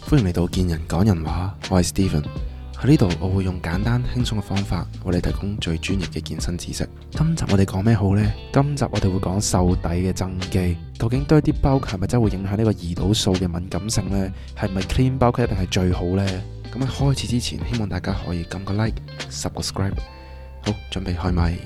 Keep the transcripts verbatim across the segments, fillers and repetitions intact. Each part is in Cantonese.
歡迎嚟到健人講人話，我係 Steven。喺呢度我會用簡單輕鬆嘅方法為你提供最專業嘅健身知識。今集我哋講咩好呢？今集我哋會講瘦底嘅增肌。究竟 dirty bulk 係咪真係會影響呢個胰島素嘅敏感性呢？係咪 clean bulk 一定係最好呢？咁喺開始之前，希望大家可以撳個 like、subscribe。好，準備開咪。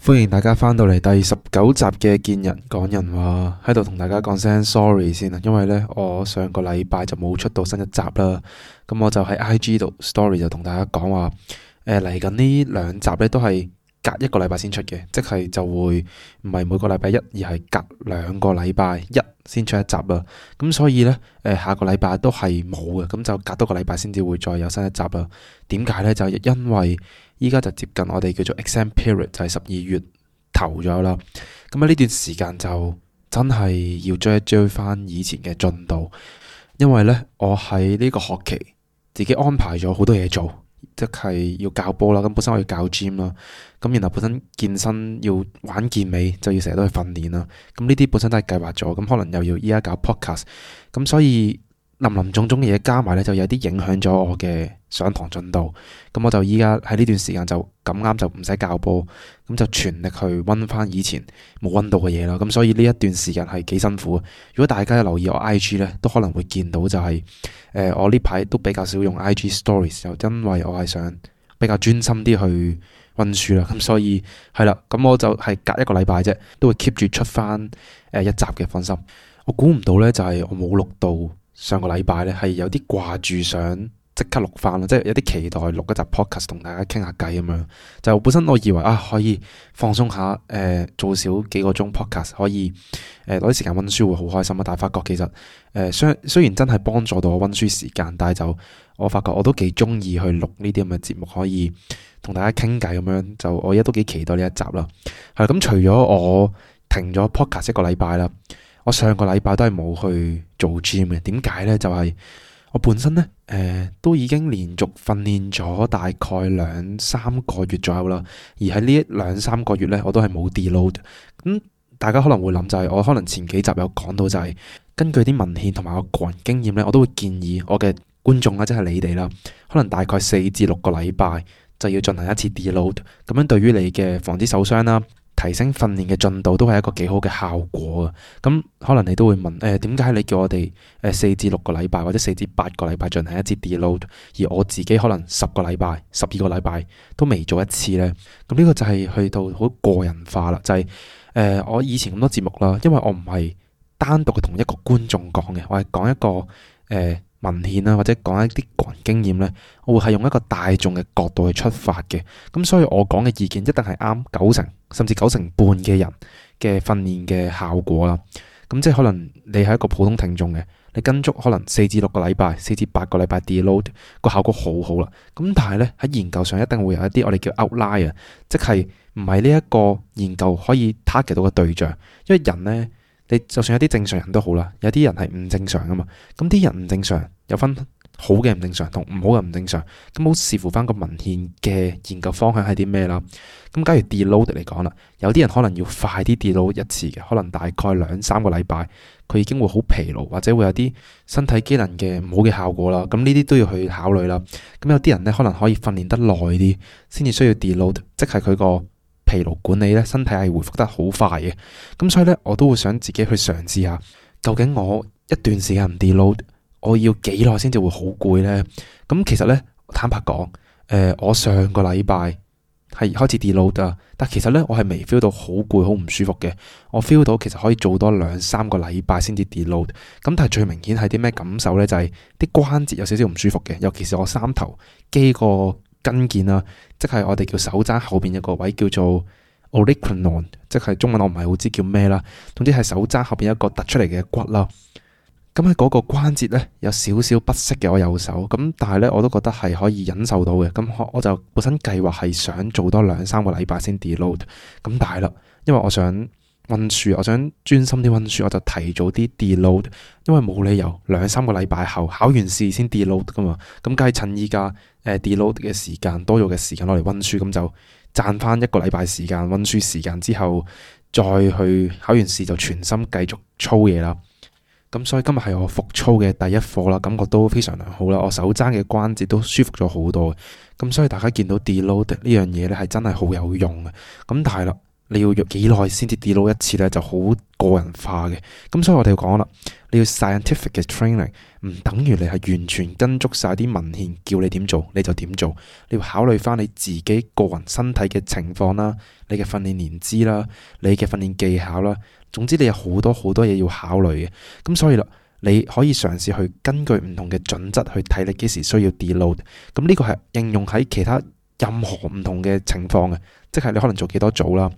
歡迎大家翻到嚟第十九集嘅健人講人話，喺度同大家講聲 sorry 先啊，因為呢，我上個禮拜就冇出到新一集啦，咁我就喺 I G 度 story 就同大家講話，誒嚟緊呢兩集呢都係隔一個禮拜先出嘅，即係就會唔係每個禮拜一，而係隔兩個禮拜一先出一集啦。咁所以呢，誒下個禮拜都係冇嘅，咁就隔多個禮拜先至會再有新一集啦。點解呢？就係因為依家就接近我哋叫做 exam period，就係十二月頭咗啦。咁喺呢段時間就真係要追一追翻以前嘅進度，因為呢，我喺呢個學期自己安排咗好多嘢做。即係要教波啦，咁本身我要教 gym 啦，咁然後本身健身要玩健美，就要成日都去訓練啦。咁呢啲本身都係計劃咗，咁可能又要依家搞 podcast，咁所以林林總總嘅嘢加埋咧，就有啲影響咗我嘅上堂進度。咁我就依家喺呢段時間就咁啱就唔使教波，咁就全力去溫翻以前冇溫到嘅嘢啦。咁所以呢一段時間係幾辛苦。如果大家有留意我 I G 咧，都可能會見到就係、是、誒、呃、我呢排都比較少用 I G Stories，就因為我係想比較專心啲去溫書啦。咁所以係啦，咁我就係隔一個禮拜啫，都會 keep 住出翻誒一集嘅，放心。我估唔到咧，就係、是、我冇錄到上個禮拜咧，係有啲掛住想即刻錄翻啦，即係有啲期待錄一集 podcast 同大家傾下偈咁樣。就本身我以為啊可以放鬆下，誒、呃、做少幾個鐘 podcast 可以誒攞啲時間溫書會好開心啊。但係發覺其實誒雖雖然真係幫助到我溫書時間，但係就我發覺我都幾中意去錄呢啲咁嘅節目，可以同大家傾偈咁樣。就我而家都幾期待呢一集啦。係咁，除咗我停咗 podcast 一個禮拜啦，我上個禮拜都係冇去做 gym 嘅。點解呢？就係、是、我本身呢，誒、呃、都已經連續訓練咗大概兩三個月左右啦。而喺呢兩三個月呢，我都係冇 deload。咁大家可能會諗就係、是、我可能前幾集有講到就係、是、根據啲文獻同埋我個人經驗呢，我都會建議我嘅觀眾啦，即係你哋啦，可能大概四至六個禮拜就要進行一次 deload。咁樣對於你嘅防止受傷啦，提升訓練嘅進度都係一個幾好嘅效果啊！咁可能你都會問誒，點解你叫我哋誒四至六個禮拜或者四至八個禮拜進行一次 deload，而我自己可能十個禮拜、十二個禮拜都未做一次呢？咁呢個就係去到好個人化啦，就係、是、誒、呃、我以前咁多節目啦，因為我唔係單獨嘅同一個觀眾講嘅，我係講一個誒。呃文獻啦，或者講一啲個人經驗呢，我會係用一個大眾嘅角度去出發嘅。咁所以我講嘅意見一定係啱九成甚至九成半嘅人嘅訓練嘅效果啦。咁即係可能你係一個普通聽眾嘅，你跟足可能四至六個禮拜、四至八個禮拜 deload 個效果好好啦。咁但係呢，喺研究上一定會有一啲我哋叫 outlier，即係唔係呢一個研究可以 target 到嘅對象，因為人呢。你就算有啲正常人都好啦，有啲人係唔正常噶嘛。咁啲人唔正常，有分好嘅唔正常同唔好嘅唔正常。咁好視乎翻個文獻嘅研究方向係啲咩啦。咁假如 deload 嚟講啦，有啲人可能要快啲 deload 一次嘅，可能大概兩三個禮拜，佢已經會好疲勞，或者會有啲身體機能嘅唔好嘅效果啦。咁呢啲都要去考慮啦。咁有啲人呢，可能可以訓練得耐啲，先至需要 deload，即係佢個疲勞管理咧，身體係回復得好快嘅。咁所以咧，我都會想自己去嘗試下，究竟我一段時間唔 deload，我要幾耐先至會好攰呢？咁其實咧，坦白講，誒、呃，我上個禮拜係開始 deload 啊，但其實咧，我係未 feel 到好攰、好唔舒服嘅。我 feel 到其實可以做多兩三個禮拜先至 deload。咁但係最明顯係啲咩感受咧？就係、是、啲關節有少少唔舒服嘅，尤其是我三頭肌個筋腱啦，即係我哋叫手踭後邊有個位叫做 olecranon， 即係中文我唔係好知叫咩啦。總之係手踭後邊一個突出嚟嘅骨啦。咁喺嗰個關節咧有少少不適嘅我右手，咁但係咧我都覺得係可以忍受到嘅。咁我就本身計劃係想做多兩三個禮拜先 deload。咁但係啦，因為我想溫書，我想專心啲溫書，我就提早啲 deload。因為冇理由兩三個禮拜後考完試先 deload 噶嘛。咁梗係趁依家。誒 deload 嘅時間多咗嘅時間攞嚟溫書，咁就賺翻一個禮拜時間溫書時間之後，再去考完試就全心繼續操嘢啦。咁所以今日係我復操嘅第一課啦，感覺都非常良好啦，我手踭嘅關節都舒服咗好多。咁所以大家見到 deload 呢樣嘢咧係真係好有用嘅。咁但係啦，你要約幾耐先至 deload 一次咧，就好個人化嘅。咁所以我哋要講啦，你要 scientific 嘅 training 唔等於你係完全跟足晒啲文獻叫你點做你就點做。你要考慮翻你自己個人身體嘅情況啦，你嘅訓練年資啦，你嘅訓練技巧啦，總之你有好多好多嘢要考慮嘅。咁所以啦，你可以嘗試去根據唔同嘅準則去睇你幾時需要 deload。咁呢個係應用喺其他任何唔同嘅情況嘅，即係你可能做幾多組啦，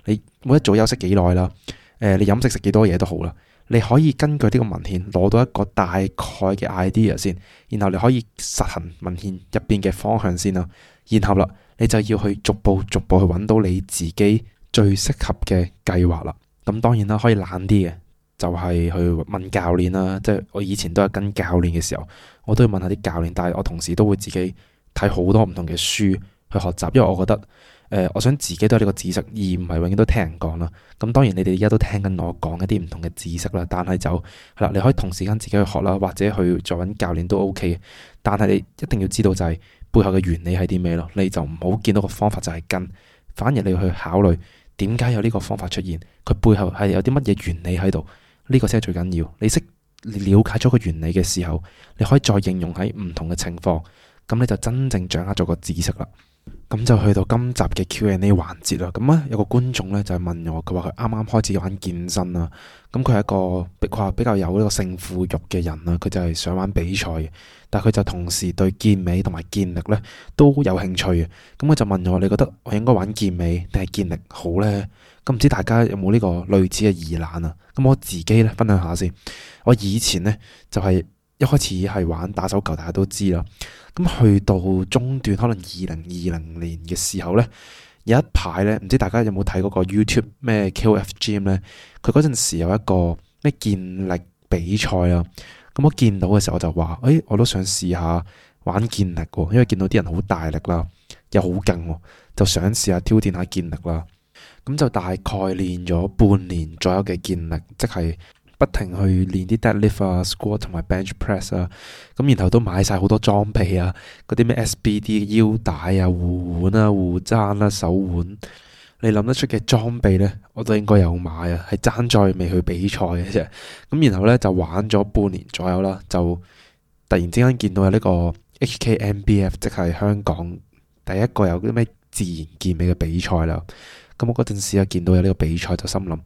你每一組休息幾耐啦，誒、呃，你飲食食幾多嘢都好啦，你可以根據呢個文獻攞到一個大概嘅 idea 先，然後你可以實行文獻入邊嘅方向先啦，然後啦，你就要去逐步逐步去揾到你自己最適合嘅計劃啦。咁當然啦，可以懶啲嘅，就係去問教練啦。即係我以前都係跟教練嘅時候，我都要問下啲教練，但係我同時都會自己睇好多唔同嘅書去學習，因為我覺得誒、呃，我想自己都有呢個知識，而唔係永遠都聽人講啦。咁當然你哋而家都聽緊我講一啲唔同嘅知識啦，但係就係啦，你可以同時間自己去學啦，或者去再揾教練都 OK 嘅。但係你一定要知道就係背後嘅原理係啲咩咯，你就唔好見到個方法就係跟，反而你要去考慮點解有呢個方法出現，佢背後係有啲乜嘢原理喺度，呢個先係最緊要。你識了解咗個原理嘅時候，你可以再應用喺唔同嘅情況，咁你就真正掌握咗個知識啦。咁就去到今集嘅 Q and A 環節啦。咁啊有個觀眾咧就係問我，佢話佢啱啱開始玩健身啦。咁佢係一個佢話比較有呢個勝負慾嘅人啦，佢就係想玩比賽嘅，但係佢就同時對健美同埋健力咧都有興趣嘅。咁佢就問我，你覺得我應該玩健美定係健力好呢？咁唔知大家有冇呢個類似嘅疑難啊？咁我自己咧分享下先。我以前咧就係、是、一開始係玩打手球，大家都知啦。咁去到中段，可能二零二零年嘅時候咧，有一排咧，唔知大家有冇睇嗰個 YouTube 咩 K O F Gym 咧？佢嗰陣時有一個咩健力比賽啦。咁我見到嘅時候我就話，誒、哎，我都想試下玩健力喎，因為見到啲人好大力啦，又好勁，就想試下挑戰下健力啦。咁就大概練咗半年左右嘅健力，即係不停去練啲 deadlift 啊、squat 同埋 bench press 啊，咁然後都買晒好多裝備啊，嗰啲咩 S B D 腰帶啊、護腕啊、護踭啦、手腕，你諗得出嘅裝備呢，我都應該有買啊，係爭在未去比賽嘅啫。咁然後呢，就玩咗半年左右啦，就突然之間見到有呢個 H K M B F， 即係香港第一個有啲咩自然健美嘅比賽啦。咁我嗰陣時啊見到有呢個比賽，就心諗，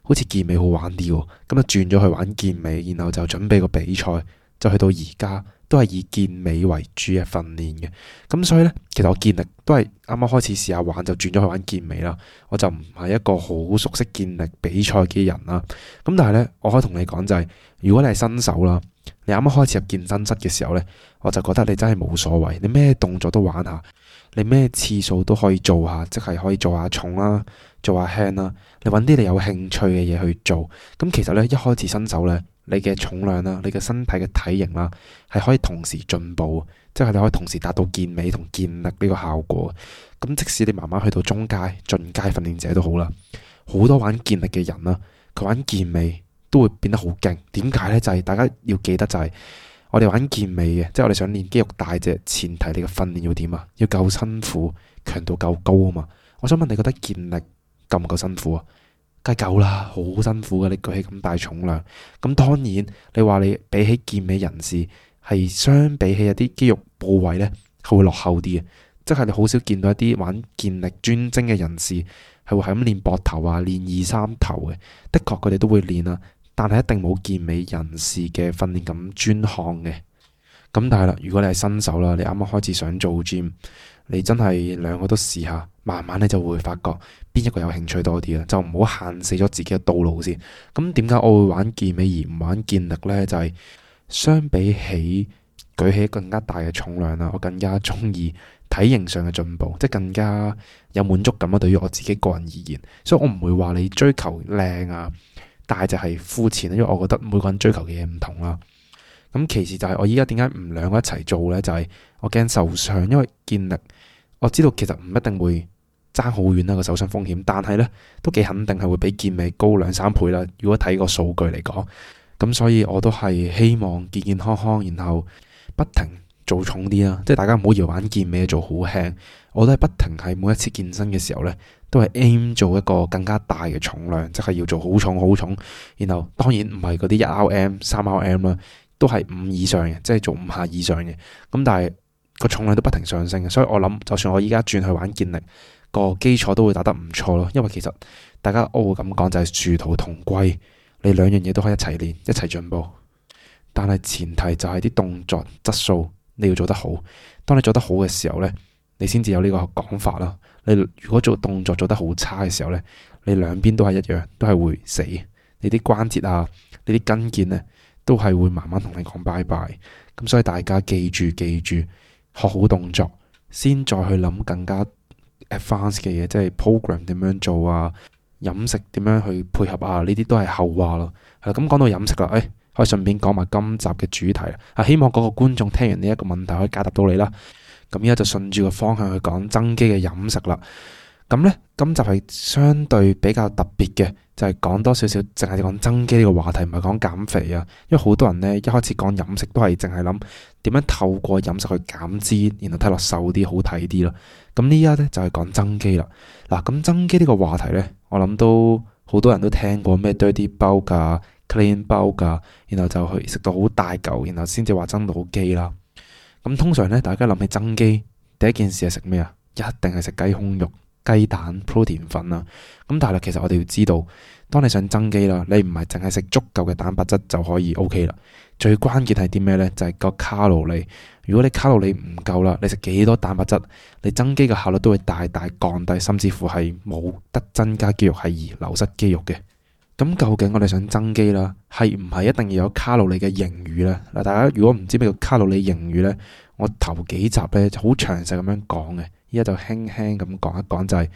好似健美好玩啲喎，咁就轉咗去玩健美，然後就準備個比賽，就去到而家都係以健美為主嘅訓練嘅。咁所以呢，其實我健力都係啱啱開始試下玩，就轉咗去玩健美啦。我就唔係一個好熟悉健力比賽嘅人啦。咁但係呢，我可以同你講就係，如果你係新手啦，你啱啱開始入健身室嘅時候呢，我就覺得你真係冇所謂，你咩動作都玩下。你咩次數都可以做下，即係可以做下重啦，做下輕啦。你揾啲你有興趣嘅嘢去做。咁其實呢，一開始新手呢，你嘅重量啦，你嘅身體嘅體型啦，係可以同時進步，即係你可以同時達到健美同健力呢個效果。咁即使你慢慢去到中階、進階訓練者都好啦，好多玩健力嘅人啦，佢玩健美都會變得好勁。點解呢？就係大家要記得就係。我哋玩健美嘅，即係我哋想練肌肉大隻，前提你嘅訓練要點啊？要夠辛苦，強度夠高啊嘛！我想問你覺得健力夠唔夠辛苦啊？梗係夠啦，好辛苦嘅，你舉起咁大重量。咁當然，你話你比起健美人士，係相比起一啲肌肉部位呢，係會落後啲嘅。即係你好少見到一啲玩健力專精嘅人士，係會係咁練膊頭啊，練二三頭嘅。的確佢哋都會練啊。但係一定冇健美人士嘅訓練咁專項嘅。咁但係啦，如果你係新手啦，你啱啱開始想做 gym， 你真係兩個都試下，慢慢你就會發覺邊一個有興趣多啲啦，就唔好限死咗自己嘅道路先。咁點解我會玩健美而唔玩健力呢？就係、是、相比起舉起更加大嘅重量啦，我更加中意體型上嘅進步，即係更加有滿足感啊！對於我自己個人而言，所以我唔會話你追求靚啊，但係就係膚淺，因為我覺得每個人追求嘅嘢唔同啦。咁其次就係我依家點解唔兩個一齊做呢？就係、是、我驚受傷，因為健力我知道其實唔一定會爭好遠啦個受傷風險，但係呢都幾肯定係會比健美高兩三倍啦。如果睇個數據嚟講，咁所以我都係希望健健康康，然後不停做重啲啦。即係大家唔好搖玩健美做好輕，我都係不停喺每一次健身嘅時候呢，都係 aim 做一個更加大嘅重量，即係要做好重好重。然後當然唔係嗰啲一 R M、三 R M 啦，都係五以上嘅，即係做五下以上嘅。咁但係個重量都不停上升嘅，所以我諗就算我依家轉去玩健力，個基礎都會打得唔錯咯。因為其實大家我會咁講就係殊途同歸，你兩樣嘢都可以一齊練，一齊進步。但係前提就係啲動作質素你要做得好。當你做得好嘅時候呢，你先至有呢個講法啦。你如果做動作做得好差嘅時候呢，你兩邊都係一樣，都係會死。你啲關節啊，你啲筋腱呢，都係會慢慢同你講拜拜。咁所以大家記住記住，學好動作，先再去諗更加 advanced 嘅嘢，即係 program 點樣做啊，飲食點樣去配合啊，呢啲都係後話咯。係啦，咁講到飲食啦，誒、哎，可以順便講埋今集嘅主題啊。希望嗰個觀眾聽完呢一個問題可以解答到你啦。咁而家就順住個方向去講增肌嘅飲食啦。咁呢，今集係相對比較特別嘅，就係、是、講多少少，淨係講增肌呢個話題，唔係講減肥啊。因為好多人呢，一開始講飲食都係淨係諗點樣透過飲食去減脂，然後睇落瘦啲、好睇啲咯。咁呢家呢，就係、是、講增肌啦。嗱，咁增肌呢個話題呢，我諗都好多人都聽過咩 dirty bulk 噶、clean bulk 噶，然後就去食到好大嚿，然後先至話增到肌啦。咁通常咧，大家諗起增肌，第一件事係食咩啊？一定係食雞胸肉、雞蛋、protein 粉啊。咁但係其實我哋要知道，當你想增肌啦，你唔係淨係食足夠嘅蛋白質就可以 OK 啦。最關鍵係啲咩呢？就係個卡路里。如果你卡路里唔夠啦，你食幾多蛋白質，你增肌嘅效率都會大大降低，甚至乎係冇得增加肌肉，係而流失肌肉嘅。咁究竟我哋想增肌啦，係唔係一定要有卡路里嘅盈餘呢？嗱，大家如果唔知咩叫卡路里盈餘呢，我頭幾集呢就好詳細咁樣講嘅，依家就輕輕咁講一講，就係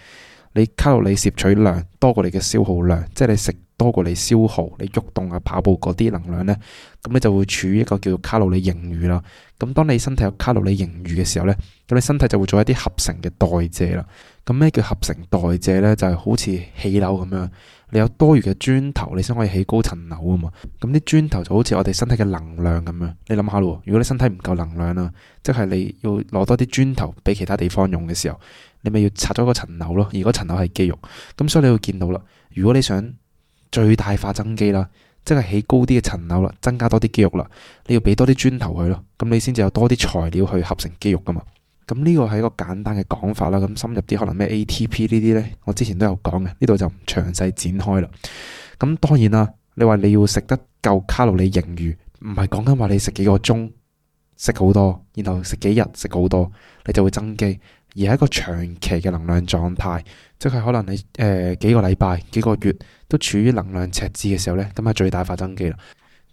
你卡路里攝取量多過你嘅消耗量，即係你食多過你消耗，你喐動啊、跑步嗰啲能量呢，咁你就會處於一個叫做卡路里盈餘啦。咁當你身體有卡路里盈餘嘅時候呢，咁你身體就會做一啲合成嘅代謝啦。咁咩叫合成代謝呢？就係好似起樓咁樣，你有多餘嘅磚頭，你先可以起高層樓啊嘛。咁啲磚頭就好似我哋身體嘅能量咁樣。你諗下咯，如果你身體唔夠能量啦，即係你要攞多啲磚頭俾其他地方用嘅時候，你咪要拆咗個層樓咯。而嗰層樓係肌肉，咁所以你會見到啦。如果你想最大化增肌啦，即係起高啲嘅層樓啦，增加多啲肌肉啦，你要俾多啲磚頭去咯，咁你先至有多啲材料去合成肌肉噶嘛。咁呢個係一個簡單嘅講法啦。咁深入啲可能咩 A T P 呢啲呢，我之前都有講嘅，呢度就唔詳細展開啦。咁當然啦，你話你要食得夠卡路里盈餘，唔係講緊話你食幾個鐘食好多，然後食幾日食好多，你就會增肌，而係一個長期嘅能量狀態，即係可能你誒、呃、幾個禮拜、幾個月都處於能量赤字嘅時候呢，咁係最大化增肌啦。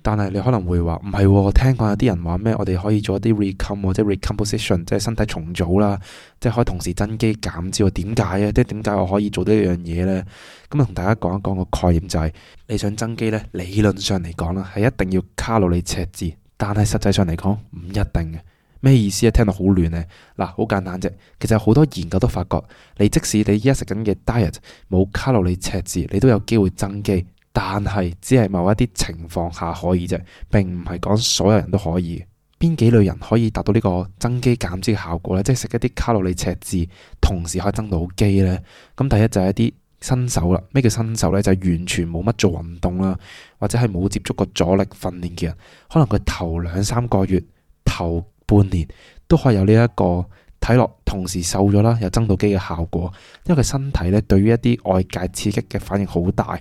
但係你可能會話唔係，聽講有啲人話咩，我哋可以做一啲 recom 或者 recomposition，即係身體重組啦，即係可以同時增肌減脂。點解啊？即係點解我可以做呢一樣嘢呢？咁啊，同大家講一講個概念，就係你想增肌呢，理論上嚟講啦，係一定要卡路里赤字，但係實際上嚟講唔一定嘅。咩意思啊？聽到好亂呢。嗱，好簡單啫。其實有好多研究都發覺，你即使你依家食緊嘅 diet 冇卡路里赤字，你都有機會增肌。但係只係某一啲情況下可以啫，並唔係講所有人都可以。邊幾類人可以達到呢個增肌減脂嘅效果呢？即係食一啲卡路里赤字，同時可以增到肌呢？咁第一就係一啲新手啦。咩叫新手呢？就係完全冇乜做運動啦，或者係冇接觸過阻力訓練嘅人，可能佢頭兩三個月、頭半年都可以有呢一個睇落同時瘦咗啦，又增到肌嘅效果。因為佢身體呢對於一啲外界刺激嘅反應好大。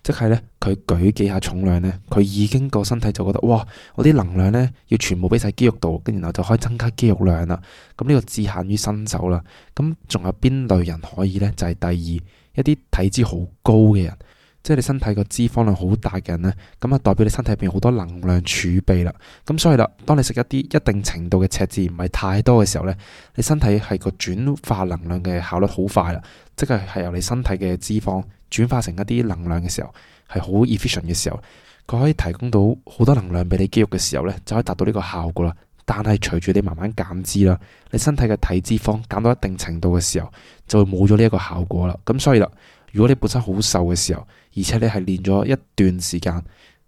即係咧，佢舉幾下重量咧，佢已經個身體就覺得哇，我啲能量咧要全部俾晒肌肉度，跟然後就可以增加肌肉量啦。咁呢個只限於新手啦。咁仲有邊類人可以咧？就係、是、第二一啲體脂好高嘅人，即係你身體個脂肪量好大嘅人咧，咁啊代表你身體入邊好多能量儲備啦。咁所以啦，當你食一啲一定程度嘅赤字唔係太多嘅時候咧，你身體係個轉化能量嘅效率好快啦，即係係由你身體嘅脂肪轉化成一啲能量嘅時候，係好 efficient 嘅時候，佢可以提供到好多能量俾你肌肉嘅時候呢，就可以達到呢個效果啦。但係隨住你慢慢減脂啦，你身體嘅體脂肪減到一定程度嘅時候，就會冇咗呢一個效果啦。咁所以啦，如果你本身好瘦嘅時候，而且你係練咗一段時間，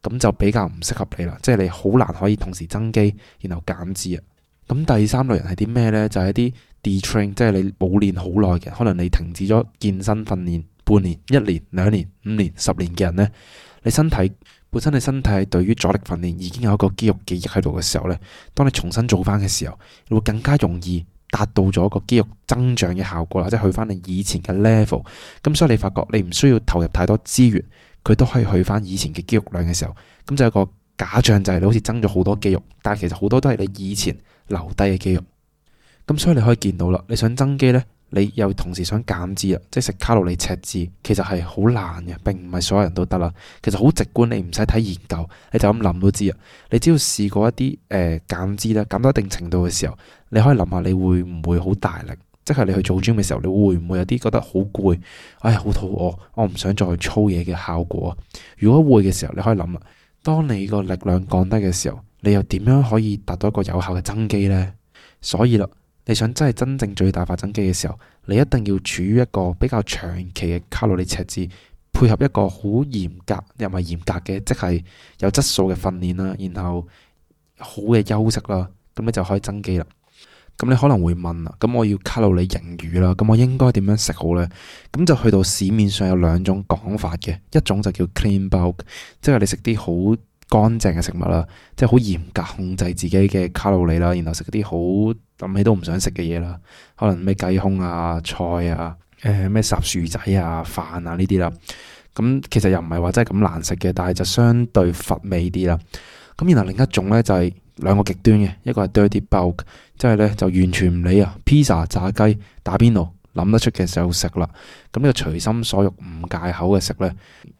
咁就比較唔適合你啦，即係你好難可以同時增肌然後減脂啊。咁第三類人係啲咩呢？就係一啲 detrain，即係你冇練好耐嘅，可能你停止咗健身訓練半年、一年、兩年、五年、十年嘅人呢，你身體本身你身體對於阻力訓練已經有一個肌肉記憶喺度嘅時候呢，當你重新做翻嘅時候，你會更加容易達到咗個肌肉增長嘅效果啦，即係去翻你以前嘅 level。咁所以你發覺你唔需要投入太多資源，佢都可以去翻以前嘅肌肉量嘅時候，咁就有一個假象就係你好似增咗好多肌肉，但係其實好多都係你以前留低嘅肌肉。咁所以你可以見到啦，你想增肌呢，你又同時想減脂啊，即係食卡路里赤字，其實係好難嘅，並唔係所有人都得啦。其實好直觀，你唔使睇研究，你就咁諗都知啊。你只要試過一啲誒減脂啦，減到一定程度嘅時候，你可以諗下你會唔會好大力，即係你去做 gym 嘅時候，你會唔會有啲覺得好攰，哎呀好肚餓，我唔想再去操嘢嘅效果啊？如果會嘅時候，你可以諗啦，當你個力量降低嘅時候，你又點樣可以達到一個有效嘅增肌呢？所以啦，你想真係真正最大化增肌嘅時候，你一定要處於一個比較長期嘅卡路里赤字，配合一個好嚴格又唔係嚴格嘅，即係有質素嘅訓練啦，然後好嘅休息啦，咁你就可以增肌啦。咁你可能會問啦，咁我要卡路里盈餘啦，咁我應該點樣食好呢？咁就去到市面上有兩種講法嘅，一種就叫 clean bulk，即係你食啲好乾淨嘅食物啦，即係好嚴格控制自己嘅卡路里啦，然後食啲好諗起都唔想食嘅嘢啦，可能咩雞胸啊、菜啊、誒咩烚薯仔啊、飯啊呢啲啦。咁其實又唔係話真係咁難食嘅，但係就相對乏味啲啦。咁然後另一種咧就係兩個極端嘅，一個係 dirty bulk， 即係咧就完全唔理啊，披薩、炸雞、打邊爐，諗得出嘅時候食啦。咁呢個隨心所欲唔戒口嘅食呢，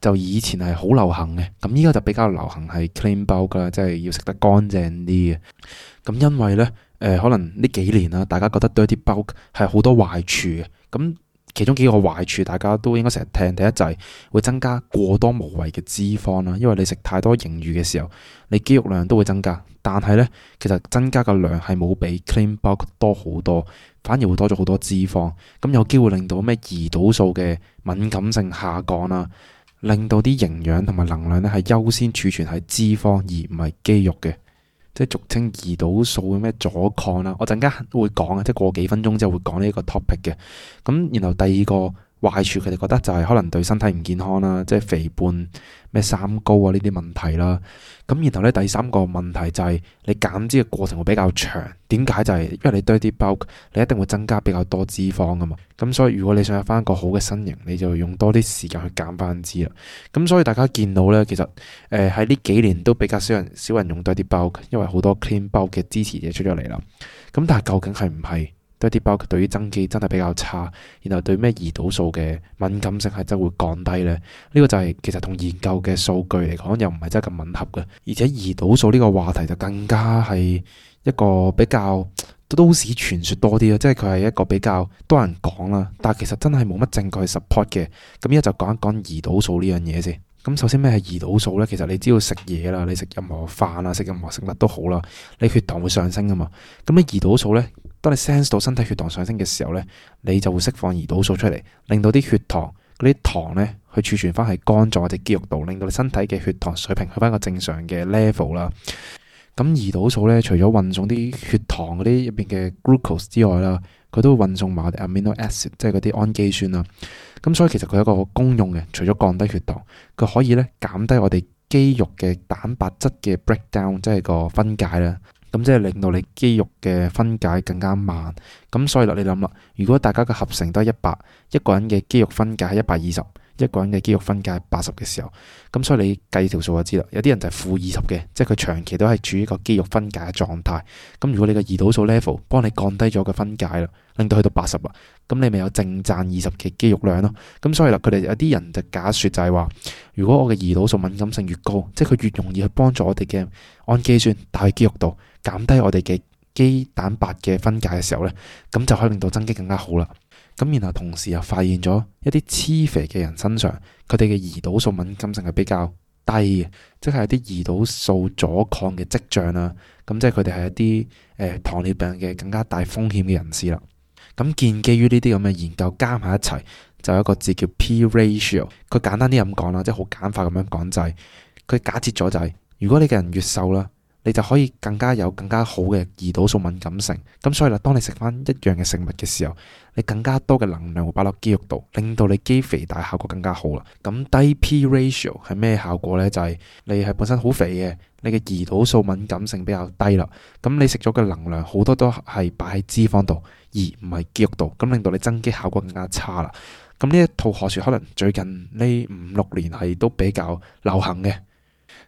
就以前係好流行嘅。咁依家就比較流行係 clean bulk 啦，即係要食得乾淨啲嘅。咁因為呢，誒、呃、可能呢幾年啦，大家覺得 dirty bulk 係好多壞處嘅。咁其中幾個壞處，大家都應該成日聽。第一就係會增加過多無謂嘅脂肪啦，因為你食太多盈餘嘅時候，你肌肉量都會增加。但係呢，其實增加嘅量係冇比 clean bulk 多好多，反而會多咗好多脂肪。咁有機會令到咩胰島素嘅敏感性下降啦，令到啲營養同埋能量咧係優先儲存喺脂肪而唔係肌肉嘅，即係俗稱胰島素嘅咩阻抗啦。我陣間會講啊，即係過幾分鐘之後會講呢個 topic 嘅。咁然後第二個壞處，佢哋覺得就係可能對身體唔健康啦，即係肥胖、咩三高啊呢啲問題啦。咁然後咧第三個問題就係你減脂嘅過程會比較長。點解？就係因為你 dirty bulk，你一定會增加比較多脂肪噶嘛。咁所以如果你想有翻一個好嘅身形，你就用多啲時間去減翻脂啦。咁所以大家見到咧，其實誒喺呢幾年都比較少人少人用 dirty bulk，因為好多 clean bulk 嘅支持者出咗嚟啦。咁但係究竟係唔係dirty bulk對於增肌真係比較差，然後對咩胰島素嘅敏感性係真會降低呢？呢、呢個就係其實同研究嘅數據嚟講又唔係真係咁吻合嘅。而且胰島素呢個話題就更加係一個比較都市傳說多啲啦，即係佢係一個比較多人講啦，但係其實真係冇乜證據去 support 嘅。咁依家就講一講胰島素呢樣嘢先。咁首先咩係胰島素呢？其實你只要食嘢啦，你食任何飯啊，食任何食物都好啦，你血糖會上升噶嘛。咁你胰島素呢，當你 sense 到身體血糖上升嘅時候呢，你就會釋放胰島素出嚟，令到啲血糖嗰啲糖呢去儲存翻喺肝臟或者肌肉度，令到你身體嘅血糖水平去翻個正常嘅 level 啦。咁胰島素咧，除咗運送啲血糖嗰啲入邊嘅 glucose 之外啦，佢都會運送埋我哋 amino acid，即係嗰啲氨基酸啦。咁所以其實佢有一個功用嘅，除咗降低血糖，佢可以咧減低我哋肌肉嘅蛋白質嘅 breakdown，即係個分解啦。咁即係令到你肌肉嘅分解更加慢。咁所以啦，你諗啦，如果大家嘅合成都係一百，一個人嘅肌肉分解係一百二十。一個人嘅肌肉分解係八十嘅時候，咁所以你計條數就知啦。有啲人就係負二十嘅，即係佢長期都係處於個肌肉分解嘅狀態。咁如果你個胰島素 level 幫你降低咗個分解啦，令到去到八十啦，咁你咪有正賺二十嘅肌肉量咯。咁所以啦，佢哋有啲人就假說就係話，如果我嘅胰島素敏感性越高，即係佢越容易去幫助我哋嘅氨基酸帶去肌肉度，減低我哋嘅肌蛋白嘅分解嘅時候呢，咁就可以令到增肌更加好啦。咁然後同時又發現咗一啲黐肥嘅人身上，佢哋嘅胰島素敏感性係比較低嘅，即係一啲胰島素阻抗嘅跡象啦。咁即係佢哋係一啲誒、呃、糖尿病嘅更加大風險嘅人士啦。咁建基於呢啲咁嘅研究加埋一齊，就有一個字叫 P ratio。佢簡單啲咁講啦，即係好簡化咁樣講就係、是、佢假設咗就係，如果你嘅人越瘦啦，你就可以更加有更加好嘅胰島素敏感性。咁所以啦，當你食翻一樣嘅食物嘅時候，你更加多嘅能量會擺落肌肉度，令到你肌肥大效果更加好啦。咁低 P ratio 係咩效果呢？就係你係本身好肥嘅，你嘅胰島素敏感性比較低啦。咁你食咗嘅能量好多都係擺喺脂肪度，而唔係肌肉度，咁令到你增肌效果更加差啦。咁呢一套學說可能最近呢五六年係都比較流行嘅。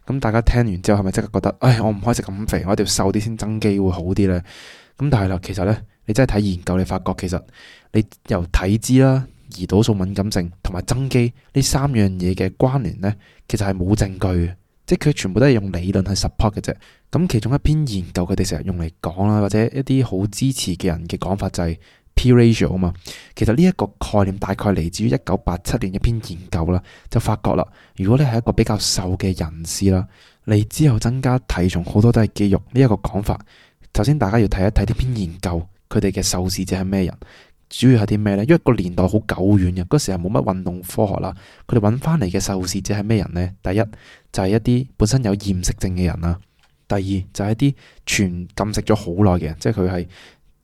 咁大家聽完之後係咪即刻覺得，唉，我唔可以食咁肥，我一定要瘦啲先增肌會好啲呢？咁但係啦，其實呢，你真係睇研究，你發覺其實你由體脂啦、胰島素敏感性同埋增肌呢三樣嘢嘅關聯呢，其實係冇證據嘅，即係佢全部都係用理論去 support 嘅啫。咁其中一篇研究佢哋成日用嚟講啦，或者一啲好支持嘅人嘅講法就係P ratio 啊嘛。其實呢一個概念大概嚟自於一九八七年一篇研究啦，就發覺啦，如果你係一個比較瘦嘅人士啦，你之後增加體重好多都係肌肉呢一個講法。首先大家要睇一睇呢篇研究，佢哋嘅受試者係咩人，主要係啲咩呢？因為個年代好久遠嘅，嗰時係冇乜運動科學啦。佢哋揾翻嚟嘅受試者係咩人呢？第一就係一啲本身有厭食症嘅人啦，第二就係一啲全禁食咗好耐嘅人，即係佢係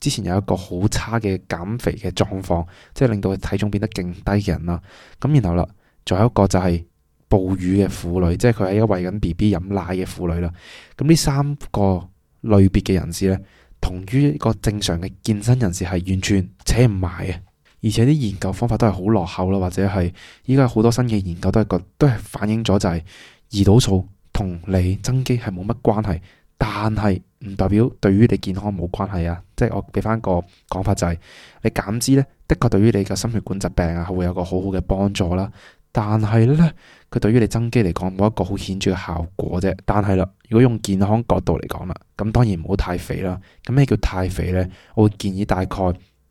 之前有一個好差嘅減肥嘅狀況，即係令到佢體重變得勁低嘅人啦。咁然後啦，仲有一個就係哺乳嘅婦女，即係佢係一個餵緊 B B 飲奶嘅婦女啦。咁呢三個類別嘅人士呢，同於一個正常嘅健身人士係完全扯唔埋嘅，而且啲研究方法都係好落後啦，或者係依家好多新嘅研究都係個都係反映咗就係胰島素同你增肌係冇乜關係，但係唔代表對於你健康冇關係啊！即係我俾翻個講法就係，你減脂呢，的確對於你嘅心血管疾病啊係會有個好好嘅幫助啦。但係呢，佢對於你增肌嚟講冇一個好顯著嘅效果啫。但係啦，如果用健康角度嚟講啦，咁當然唔好太肥啦。咁咩叫太肥呢？我會建議大概，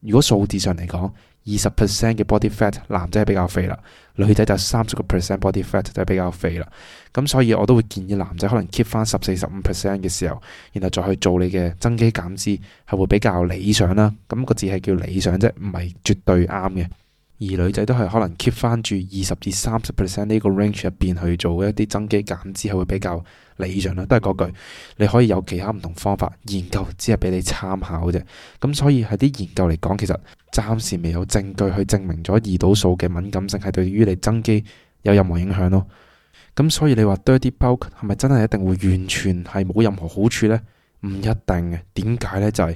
如果數字上嚟講，二十 percent 嘅 body fat 男仔係比較肥啦，女仔就三十個 percent body fat 就係比較肥啦。咁所以我都會建議男仔可能 keep 翻十四十五 percent 嘅時候，然後再去做你嘅增肌減脂，係會比較理想啦。咁個字係叫理想啫，唔係絕對啱嘅。而女仔都係可能 keep 翻住二十至三十 percent 呢個 range 入邊去做一啲增肌減脂，係會比較理想啦。都係嗰句，你可以有其他唔同方法，研究只係俾你參考啫。咁所以喺啲研究嚟講，其實暫時未有證據去證明咗胰島素嘅敏感性係對於你增肌有任何影響咯。咁所以你話 dirty bulk 係咪真係一定會完全係冇任何好處呢？唔一定嘅。點解呢？就係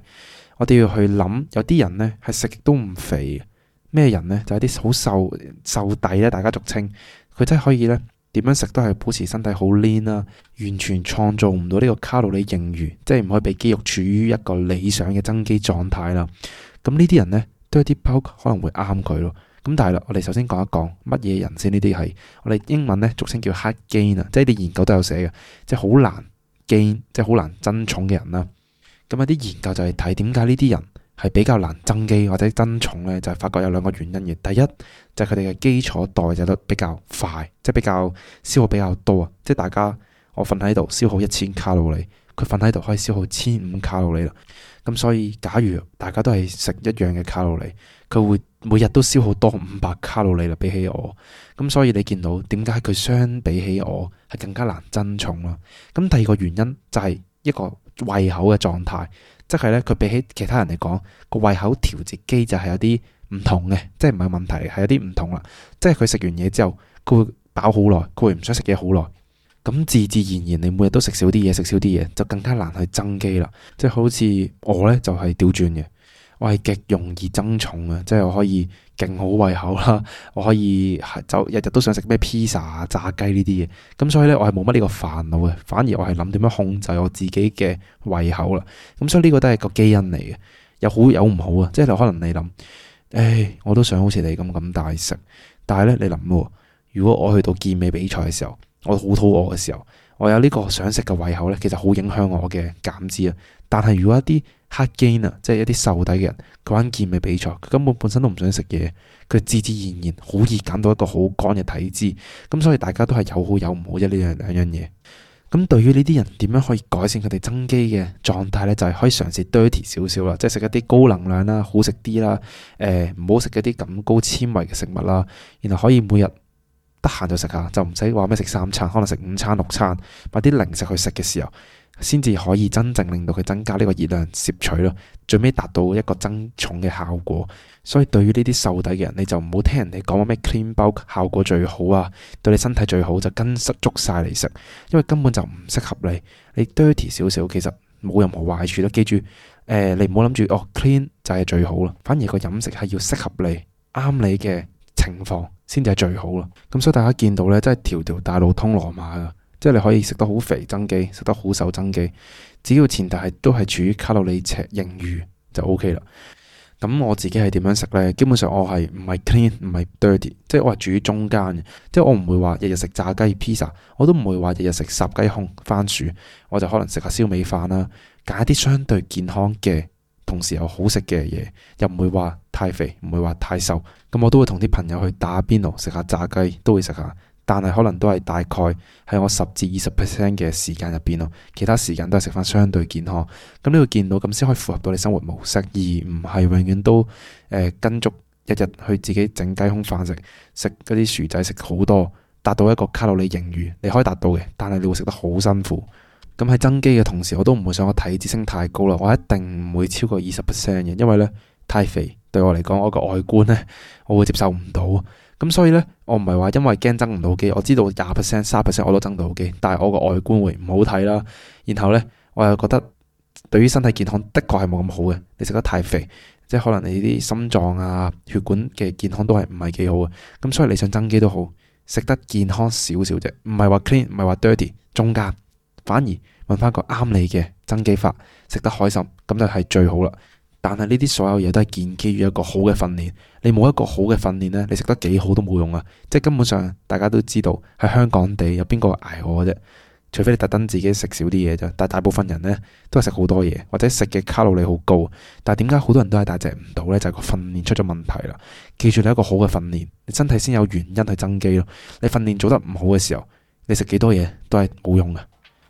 我哋要去諗，有啲人呢係食極都唔肥嘅。咩人呢？就係啲好瘦瘦底咧，大家俗稱佢真係可以咧，點樣食都係保持身體好 lean 啦，完全創造唔到呢個卡路里盈餘，即係唔可以俾肌肉處於一個理想嘅增肌狀態啦。咁呢啲人呢，都有啲 bulk 可能會啱佢咯。咁但係啦，我哋首先講一講乜嘢人先？呢啲係我哋英文咧俗稱叫 hard gain 啊，即係啲研究都有寫嘅，即係好難 gain，即係好難增重嘅人啦。咁有啲研究就係睇點解呢啲人係比較難增肌或者增重咧，就係發覺有兩個原因嘅。第一就係佢哋嘅基礎代謝率比較快，即係比較消耗比較多啊。即係大家我瞓喺度消耗一千卡路里，佢瞓喺度可以消耗千五卡路里啦。咁所以假如大家都係食一樣嘅卡路里，佢會每日都消耗多五百卡路里啦，比起我。咁所以你見到點解佢相比起我係更加難增重啦？咁第二個原因就係一個胃口嘅狀態。即係咧，佢比起其他人嚟講，個胃口調節機就係有啲唔同嘅，即係唔係問題，係有啲唔同啦。即係佢食完嘢之後，佢會飽好耐，佢會唔想食嘢好耐。咁自自然然，你每日都食少啲嘢，食少啲嘢，就更加難去增肌啦。即係好似我咧，就係調轉嘅。我係極容易增重嘅，即係我可以勁好胃口啦，我可以就日日都想食咩披薩啊、炸雞呢啲嘢，咁所以咧我係冇乜呢個煩惱嘅，反而我係諗點樣控制我自己嘅胃口啦。咁所以呢個都係個基因嚟嘅，有好有唔好啊。即係可能你諗，誒，我都想好似你咁咁大食，但係咧你諗喎，如果我去到健美比賽嘅時候，我好肚餓嘅時候，我有呢個想食嘅胃口咧，其實好影響我嘅減脂啊。但係如果一啲hard gain 啊，即係一啲瘦底嘅人，佢玩健美比賽，佢根本本身都唔想食嘢，佢自自然然好易減到一個好乾嘅體脂。咁所以大家都係有好有唔好啫，呢樣兩樣嘢。咁對於呢啲人點樣可以改善佢哋增肌嘅狀態呢？就係、是、可以嘗試 dirty 少少啦，即係食一啲高能量啦、好食啲啦，誒唔好食一啲咁高纖維嘅食物啦，然後可以每日得閒就食下，就唔使話咩食三餐，可能食五餐六餐，買啲零食去食嘅時候，先至可以真正令到佢增加呢個熱量攝取咯，最尾達到一個增重嘅效果。所以對於呢啲瘦底嘅人，你就唔好聽人哋講話咩 clean bulk 效果最好啊，對你身體最好就跟足晒嚟食，因為根本就唔適合你。你 dirty 少少其實冇任何壞處咯。記住，誒、呃、你唔好諗住哦 clean 就係最好啦，反而個飲食係要適合你，啱你嘅情況先至係最好啦。咁所以大家見到呢，真係條條大路通羅馬噶，即係你可以食得好肥增肌，食得好瘦增肌，只要前提係都係處於卡路里赤盈餘就 OK 啦。咁我自己係點樣食呢？基本上我係唔係 clean 唔係 dirty， 即係我係處於中間嘅，即係我唔會話日日食炸雞 pizza， 我都唔會話日日食烚雞胸番薯，我就可能食下燒味飯啦，揀一啲相對健康嘅，同時又好食嘅嘢，又唔會話太肥，唔會話太瘦。咁我都會同啲朋友去打邊爐，食下炸雞都會食下。但係可能都係大概喺我十至二十 percent 嘅時間入邊咯，其他時間都係食翻相對健康。咁呢個見到咁先可以符合到你生活模式，而唔係永遠都誒、呃、跟足日日去自己整雞胸飯食，食嗰啲薯仔食好多，達到一個卡路里盈餘，你可以達到嘅，但係你會食得好辛苦。咁喺增肌嘅同時，我都唔會想我體脂升太高啦，我一定唔會超過二十 percent 嘅，因為呢太肥對我嚟講，我個外觀呢，我會接受唔到。咁所以呢，我唔係話因為驚增唔到肌，我知道廿 percent、三十 percent 我都增到肌，但係我個外觀會唔好睇啦。然後呢，我又覺得對於身體健康的確係冇咁好嘅。你食得太肥，即係可能你啲心臟啊、血管嘅健康都係唔係幾好嘅。咁所以你想增肌都好，食得健康少少啫，唔係話 clean，唔係話 dirty， 中間反而揾翻個啱你嘅增肌法，食得開心，咁就係最好啦。但係呢啲所有嘢都係建基於一個好嘅訓練，你冇一個好嘅訓練呢，你食得幾好都冇用啊！即係根本上大家都知道喺香港地有邊個捱餓嘅啫，除非你特登自己食少啲嘢啫。但係大部分人呢都係食好多嘢，或者食嘅卡路里好高。但係點解好多人都係大隻唔到呢？就係個訓練出咗問題啦。記住你一個好嘅訓練，你身體先有原因去增肌咯。你訓練做得唔好嘅時候，你食幾多嘢都係冇用嘅。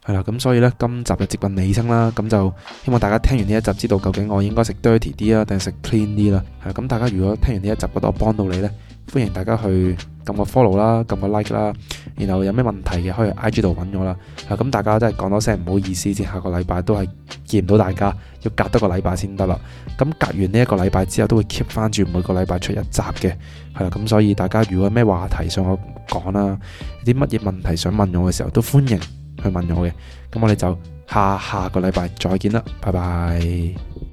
係啦，咁所以呢，今集就接近尾聲啦，咁就希望大家聽完呢一集，知道究竟我應該食 dirty 啲啊，定係食 clean 啲啦。係咁，大家如果聽完呢一集覺得我幫到你呢，歡迎大家去撳個 follow 啦，撳個 like 啦，然後有咩問題嘅可以 I G 度揾我啦。係咁，大家真係講多聲唔好意思先，下個禮拜都係見唔到大家，要隔多個禮拜先得啦。咁隔完呢一個禮拜之後，都會 keep 翻住每個禮拜出一集嘅。係啦，咁所以大家如果有咩話題想我講啦，有啲乜嘢問題想問我嘅時候，都歡迎去問我嘅。咁我哋就下下個禮拜再見啦，拜拜。